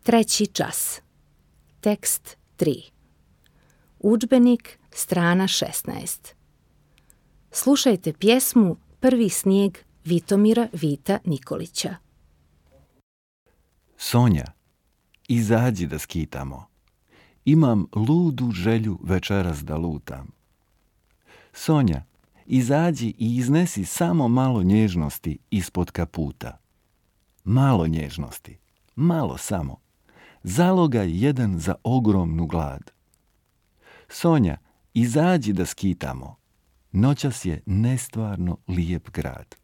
Treći čas. Tekst 3. Udžbenik, strana 16. Slušajte pjesmu Prvi snijeg Vitomira Vita Nikolića. Sonja, izađi da skitamo. Imam ludu želju večeras da lutam. Sonja, izađi i iznesi samo malo nježnosti ispod kaputa. Malo nježnosti, malo samo. Zalogaj jedan za ogromnu glad. Sonja, izađi da skitamo. Noćas je nestvarno lijep grad.